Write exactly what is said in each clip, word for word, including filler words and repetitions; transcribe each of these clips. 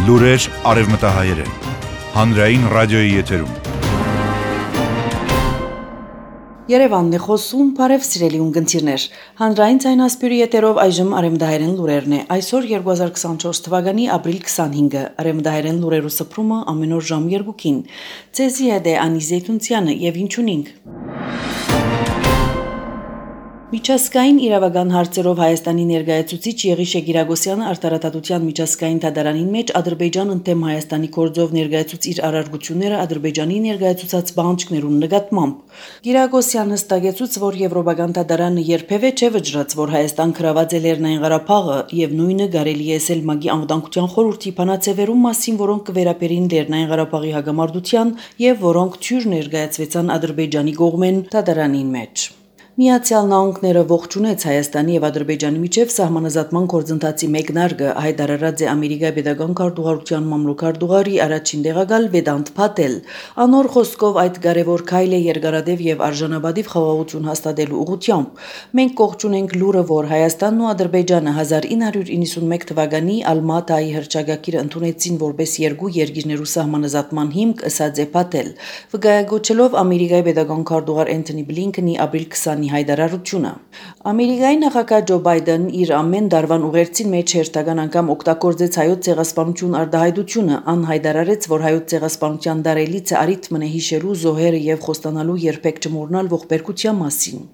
Լուրեր արևմտահայերեն, հանրային ռադիոյի եթերում։ Երևանն է խոսում, բարև սիրելի ունգընտիրներ։ Հանրային ցայնասպյուրի եթերով այժմ արևմտահայերեն լուրերն է։ Այսօր երկու հազար քսանչորս թվականի ապրիլ քսանհինգը, արևմտահայերեն լուրերու սփռումը ամեն օր ժամ երկուին։ Ցեզի հետ է Անի Զեյթունցյանը եւ ինչունինք։ Միջազգային իրավական հարցերով Հայաստանի ներկայացուցիչ Եղիշե Գիրագոսյանը արտարադատության միջազգային դատարանին մեջ Ադրբեջան ընդդեմ Հայաստանի գործով ներկայացուց իր արարգությունները Ադրբեջանի ներկայացուցած բանջկներուն նկատմամբ։ Գիրագոսյանը հստակեցուց, որ Եվրոպական դատարանը երբևէ չէ վճռած, որ Հայաստան գրաված է Լեռնային Ղարաբաղը եւ նույնը կարելի է ասել ՄԱԳ-ի անվտանգության խորհրդի բանաձևերում մասին, որոնք կվերապերին Լեռնային Ղարաբաղի հագամարտության եւ որոնք թյուր ներկայացվեցան Ադրբեջանի կողմեն դատարանին մեջ։ Միացյալ Նահանգները ողջունեց Հայաստանի եւ Ադրբեջանի միջև սահմանազատման գործընթացի մեկնարկը, հայտարարած է Ամերիկայի Պետական քարտուղարության մամլոքարտուղարի առաջին տեղակալ Վեդանտ Փաթել։ Անոր խոսքով այդ կարևոր քայլ է երկարադեպ եւ արժանապատիվ խաղաղություն հաստատելու ուղղությամբ։ Մենք ողջունենք լուրը, որ Հայաստանն ու Ադրբեջանը հազար ինը հարյուր իննսունմեկ թվականի Ալմատայի հռչակագիրը ընդունեցին որպես երկու երկիրներու սահմանազատման հիմք, ըսած է Փաթել։ Վկայակոչելով Ամերիկայի Պետական քարտուղար Էնթոնի Բլինքենի ապրիլ քսանի հայտարարությունը։ Ամերիկայի նախագահ Ջո Բայդենն իր ամեն դարվան ուղերձին մեջ հերթական անգամ օգտագործեց հայոց ցեղասպանություն արտահայտությունը, անհայտարարեց, որ հայոց ցեղասպանության դարելիցը արիթմն է հիշելու զոհերը եւ խոստանալու երբեք չմոռնալ ողբերգության մասին։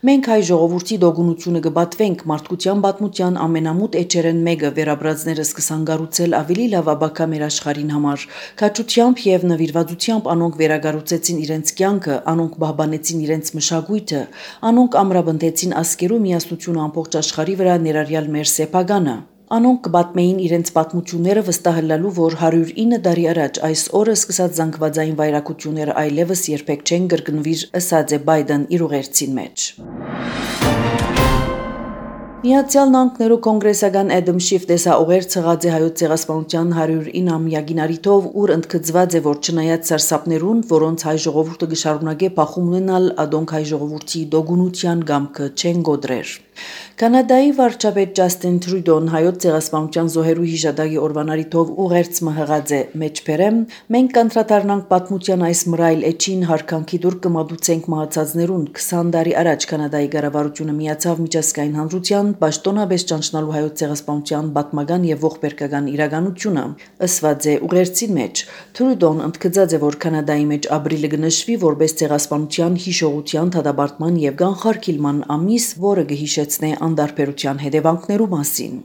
Մենք հայ ժողովրդի դոգունությունը կբատվենք մարդկության պատմության ամենամութ էջերեն մեկը վերաբրածները սկսան գառուցել ավելի լավ ապագա մեր աշխարհին համար։ Քաջությամբ եւ նվիրվածությամբ անոնք վերագառուցեցին իրենց կյանքը, անոնք պահպանեցին իրենց մշակույթը, անոնք ամրապնդեցին ասկերու միասնությունը ամբողջ աշխարհի վրա ներառյալ մեր սեփականը։ Անոնք կպատմեին իրենց պատմությունները վստահելու, որ հարյուր ինը տարի առաջ այս օրը սկսած զանգվածային վայրակությունները այլևս երբեք չեն կրկնվիր, ըսած է Բայդեն իր ուղերձին մեջ։ Միացյալ Նահանգներու կոնգրեսական Էդամ Շիֆ տեսաուղեր ցղած է հայոց ցեղասպանության հարյուր իննամյակին արիթով, ուր ընդգծված է, որ չնայած սարսափներուն, որոնց հայ ժողովուրդը կշարունակե փախում ունենալ, ադոնք հայ ժողովրդի դոգունության գամքը չեն գոդրեր։ Կանադայի վարչապետ Ջաստին Թրյուդոն հայոց ցեղասպանության զոհերու հիշադակի օրվան արիթով ուղերձ մհղած է մեջբերեմ, մենք կանտրադառնանք պատմության այս մռայլ էջին հարկանքի դուր կմատուցենք մահացածներուն քսան տարի առաջ Կանադայի կառավարությունը միացավ միջազգային հանրության պաշտոնապես ճանչնալու հայոց ցեղասպանության պատմական եւ ողբերգական իրականությունը, ըսված է ուղերձի մեջ։ Թրյուդոն ընդգծած է, որ Կանադայի մեջ ապրիլը կնշվի որպես ցեղասպանության հիշողության դադարման եւ կանխարգելման ամիս, որը կհիշեցնե անդարբերության հետևանքներու մասին։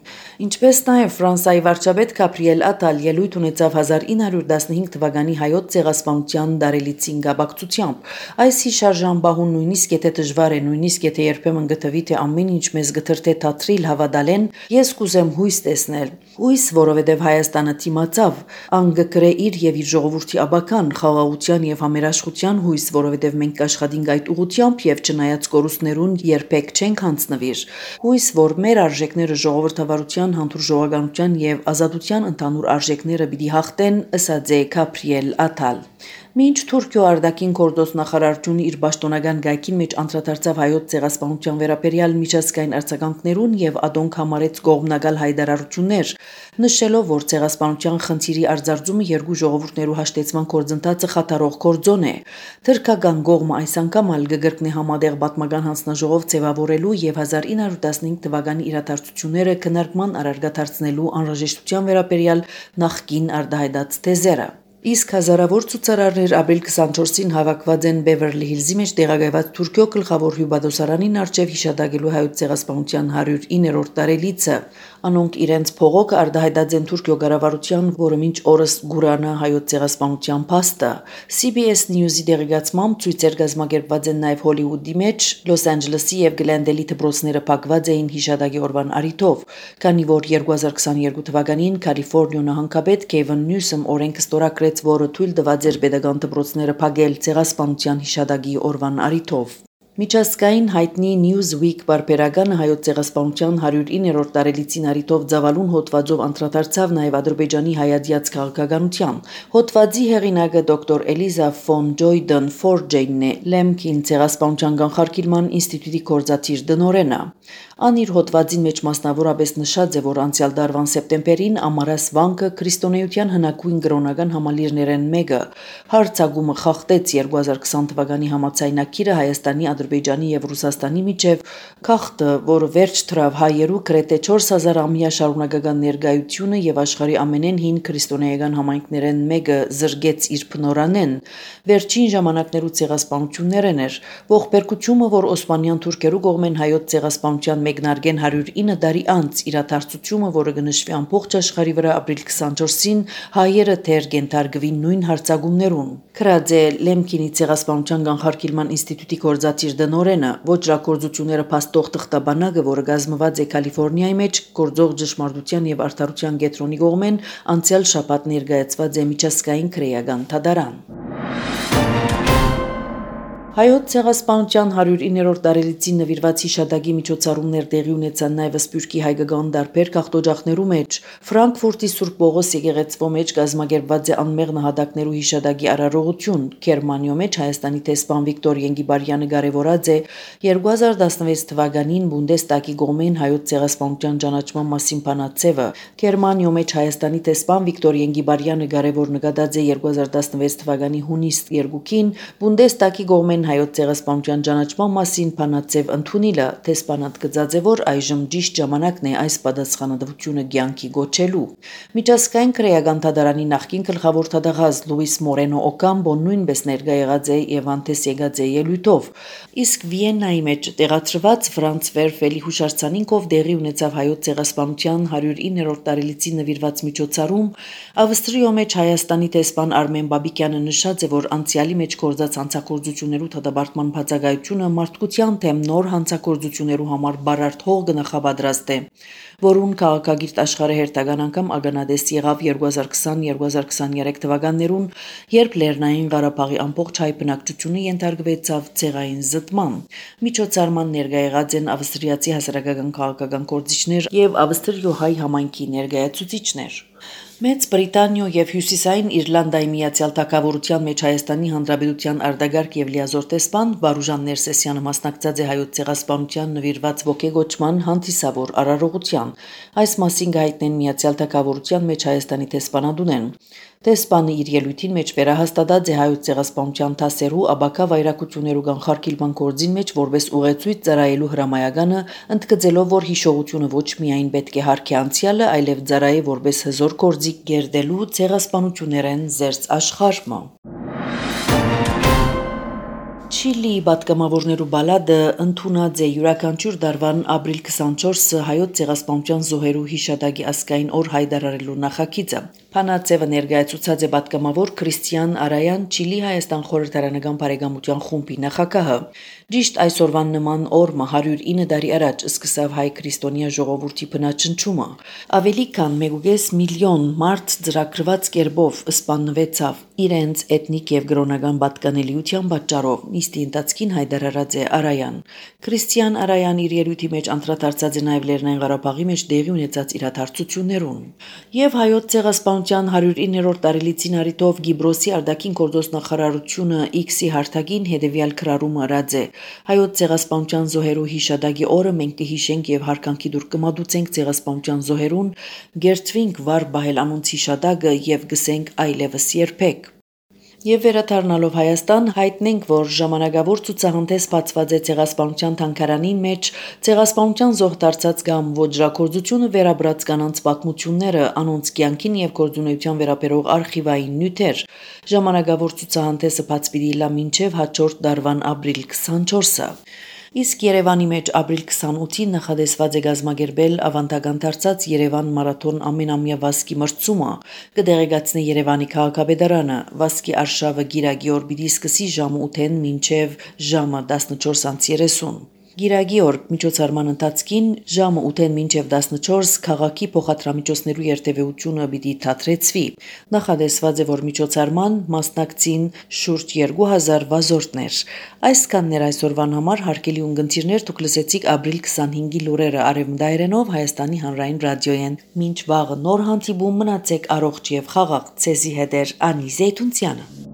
Ինչպես նաև Ֆրանսիայի վարչապետ Գաբրիել Ատալ ելույթ ունեցավ հազար ինը հարյուր տասնհինգ թվականի հայոց ցեղասպանության դարելիցին կապակցությամբ։ Այս հիշարժան բահուն նույնիսկ եթե դժվար է, նույնիսկ եթե երբեմն գտվի թե ամեն ինչ մեզ գթրթե թատրիլ հավատալեն, ես կուզեմ հույս տեսնել։ Հույս, որովհետև Հայաստանը թիմացավ, անգկրե իր եւ իր ժողովրդի աբական, խաղաղության եւ համերաշխության հույս, որովհետև մենք կաշխատենք այդ ուղղությամբ եւ չնայած կորուստներուն երբեք չենք հանձնվիր։ Հույս, որ մեր արժեքները ժողովրդավարության, հանդուրժողականության եւ ազատության ընդհանուր արժեքները պիտի հաղթեն, ըսած է Գաբրիել Ատալ։ Մինչ Թուրքիո արտաքին գործոս նախարարությունը իր պաշտոնական գայքին մեջ անդրադարձավ հայոց ցեղասպանության վերաբերյալ միջազգային արձագանքներուն եւ ադոնք համարեց կողմնակալ հայտարարություններ, նշելով, որ ցեղասպանության խնդիրի արձարծումը երկու ժողովուրդներու հաշտեցման գործընթացը խաթարող գործոն է։ Թուրքական կողմը այս անգամ ալ կգրկնի համատեղ պատմական հանձնաժողով ձևավորելու եւ հազար ինը հարյուր տասնհինգ թվականի իրադարձությունները քննարկման առարգադարձնելու անհրաժեշտության վերաբերյալ նախկին արտահայտած թեզերը։ Իսկ հազարավոր ցուցարարներ ապրիլ քսանչորսին հավաքված են Բևերլի Հիլզի մեջ տեղակայված Թուրքիո գլխավոր հյուպատոսարանին առջև հիշադակելու հայոց ցեղասպանության հարյուր իններորդ տարելիցը։ Անոնք իրենց փողոքը արտահայտած են Թուրքիո կառավարության, որը մինչ օրս գուրանա հայոց ցեղասպանության փաստը։ C B S News-ի դեղեկացմամբ ցույցեր կազմակերպված են նաև Հոլիվուդի մեջ, Լոս Անջելեսի եւ Գլենդելի դպրոցները փակված էին հիշադակի օրվան արիթով, քանի որ երկու հազար քսաներկու թվականին Կալիֆոռնիա նահանգապետ Քեյվին Նյուսոմ օրենքը ստորագրեց, որը թույլ տված էր պետական դպրոցները փակել ցեղասպանության հիշադակի օրվան արիթով։ Միջազգային հայտնի Newsweek բարբերականը հայոց ցեղասպանության հարյուր իններորդ տարելիցին առիթով ծավալուն հոդվածով անդրադարձավ նաև Ադրբեջանի հայացած քաղաքականության։ Հոդվածի հեղինակը դոկտոր Էլիզա ֆոն Ջոյդեն Ֆորջեյնն է, Լեմքին ցեղասպանության կանխարգելման ինստիտուտի կորզաթիր դնորենը։ Ան իր հոդվածին մեջ մասնավորապես նշած է, որ անցյալ դարվան սեպտեմբերին Ամարաս վանքը քրիստոնեության հնագույն կրոնական համալիրներեն մեկը հարցագումը խախտեց երկու հազար քսան թվականի համաձայնագիրը Հայաստանի, Ադրբեջանի եւ Ռուսաստանի միջև խախտը, որը վերջ դրավ հայերու գրեթե չորս հազար ամյա շարունակական ներկայությունը եւ աշխարհի ամենեն հին քրիստոնեական համայնքներեն մեկը զրկեց իր փնորանեն, վերջին ժամանակներու ցեղասպանություններն էր, ողբերգությունը, որ օսմանյան թուրքերու կողմեն հայոց ցեղասպանության մեկնարկեն հարյուր ինը տարի անց իրադարձությունը, որը կնշվի ամբողջ աշխարհի վրա ապրիլ քսանչորսին, հայերը թեր կենթարկվին նույն հարցագումներուն։ Քրած է Լեմքինի ցեղասպանության կանխարգելման ինստիտուտի կորզաթիր դնորենը, ոճրագործությունները փաստող թղթաբանակը, որը կազմված է Կալիֆոռնիայի մեջ գործող ճշմարտության եւ արդարության կենտրոնի կողմեն, անցյալ շաբաթ ներկայացված է միջազգային քրեական դատարան։ Հայոց ցեղասպանության հարյուր իններորդ տարելիցին նվիրված հիշադակի միջոցառումներ տեղի ունեցան նաև Սփյուռքի հայկական դարբեր քաղաքօջախներու մեջ։ Ֆրանկֆուրտի Սուրբ Պողոս եկեղեցվո մեջ կազմակերպված է անմեղ նահատակներու հիշադակի արարողություն։ Գերմանիո մեջ Հայաստանի տեսփան Վիկտոր Ենգիբարյանը կարևորած է երկու հազար տասնվեց թվականին Բունդեստագի կողմեն հայոց ցեղասպանության ճանաչման մասին բանաձևը։ Գերմանիո մեջ Հայաստանի տեսփան Վիկտոր Ենգիբարյանը կարևոր նկատած է երկու հազար տասնվեց թվականի հունիս երկուքին Բունդեստագի կողմեն հայոց ցեղասպանության ճանաչման մասին բանաձև ընդունիլը, տեսփանատ գծած է, որ այժմ ճիշտ ժամանակն է այս պատասխանատվությունը կյանքի գոչելու։ Միջազգային քրեական դատարանի նախկին գլխավոր դատախազ Լուիս Մորենո Օկամբոն նույնպես ներկա եղած է եւ անտես եկած է ելույթով։ Իսկ Վիեննայի մեջ տեղադրված Ֆրանց Վերֆելի հուշարձանինքով դեղի ունեցավ հայոց ցեղասպանության հարյուր իններորդ տարելիցին նվիրված միջոցառում, Ավստրիո մեջ Հայաստանի տեսփան Արմեն Բաբիկյանը նշած է, որ անցյալի մեջ գործած հանցագործություններու դատաբարտման բացակայությունը մարդկության թեմ նոր հանցագործություններու համար բարարդ հող կնախապատրաստ է, որուն քաղաքագիրտ աշխարհը հերթական անգամ ագանադես եղավ երկու հազար քսան երկու հազար քսաներեք թվականներուն, երբ Լեռնային Ղարաբաղի ամբողջ հայ բնակչությունը ենթարկվեցավ ցեղային զտման։ Միջոցառման ներկա եղած են ավստրիացի հասարակական քաղաքական գործիչներ եւ ավստրիո հայ համայնքի ներկայացուցիչներ։ Մեծ Բրիտանիո եւ Հյուսիսային Իռլանդայի Միացյալ Թագավորության մեջ Հայաստանի Հանրապետության արտագարկ եւ լիազոր տեսփան Վարուժան Ներսեսյանը մասնակցած է հայոց ցեղասպանության նվիրված ոգեգոճման հանդիսավոր արարողության։ Այս մասին գայտնեն Միացյալ Թագավորության մեջ Հայաստանի տեսփանադունեն։ Տեսփանը իր ելույթին մեջ վերահաստատած է հայոց ցեղասպանության դասերու աբակա վայրակություններու կանխարգելման գործին մեջ որպես ուղեցույց ծառայելու հրամայականը, ընդգծելով, որ հիշողությունը ոչ միայն պետք է հարգի անցյալը, այլև ծառայի որպես հզոր գործիք գերդելու ցեղասպանություններեն զերծ աշխարհը։ Չիլիի պատգամավորներու բալադը ընդունած է յուրաքանչյուր դարվան ապրիլ քսանչորսը հայոց ցեղասպանության զոհերու հիշադակի ազգային օր հայտարարելու նախագիծը։ Փանացևը ներկայացուցած է պատգամավոր Քրիստիան Արայան Չիլի Հայաստան խորհրդարանական բարեկամության խումբի նախագահը։ Ճիշտ այսօրվան նման օրը հարյուր ինը տարի առաջ սկսավ հայ քրիստոնյա ժողովրդի բնաճնչումը։ Ավելի քան մեկ միլիոն մարդ ծրագրված կերպով սպանվեցավ իրենց էթնիկ եւ կրոնական պատկանելիության պատճառով։ Նիստի ընթացքին հայտարարած է Արայան։ Քրիստիան Արայան իր ելույթի մեջ անդրադարձած է նաեւ Լեռնային Ղարաբաղի մեջ տեղի ունեցած իրադարձություններուն։ Եվ հայոց ցեղասպանության հարյուր իններորդ տարելիցին առիթով Գիբրոսի արտաքին գործոստ նախարարությունը X-ի հարթակին հետևյալ քրարումը արած է. Հայոց ցեղասպանության զոհերու հիշադակի օրը մենք կհիշենք եւ հարկանքի դուր կմատուցենք ցեղասպանության զոհերուն, գերծվինք վար բահել անոնց հիշադակը եւ գսենք այլևս երբեք։ Եվ վերադառնալով Հայաստան հայտնենք, որ ժամանակավոր ցուցահանդես բացված է ցեղասպանության թանգարանին մեջ ցեղասպանության զոհ դարձած կամ ոճրագործությունը վերաբրած կանանց պատմությունները, անոնց կյանքին եւ գործունեության վերաբերող արխիվային նյութեր։ Ժամանակավոր ցուցահանդեսը բաց պիտի լա մինչեւ հաջորդ դարվան ապրիլ քսանչորսը։ Իսկ Երևանի մեջ ապրիլ քսանութին նախադեсված է գազմագերբել ավանդական դարձած Երևան մարաթոն ամենամյա վազքի մրցումը, կդեղեկացնի Երևանի քաղաքապետարանը։ Վազքի արշավը գիրագի օր պիտի սկսի ժամը ութեն մինչև ժամը տասնչորս անց երեսուն։ Գիրագի օր միջոցառման ընթացքին ժամը ութեն մինչև տասնչորս քաղաքի փոխադրամիջոցներու երթևեկությունը պիտի թատրեցվի։ Նախադեсված է, որ միջոցառման մասնակցին շուրջ երկու հազար վազորդներ։ Այսքաններ այսօրվան համար հարգելի ունգընտիրներ, դուք լսեցիք ապրիլ քսանհինգի լուրերը արևմտայերենով Հայաստանի հանրային ռադիոյեն։ Մինչ վաղը նոր հանդիպում, մնացեք առողջ եւ խաղաղ, ցեզի հետ է Անի Զեյթունցյանը։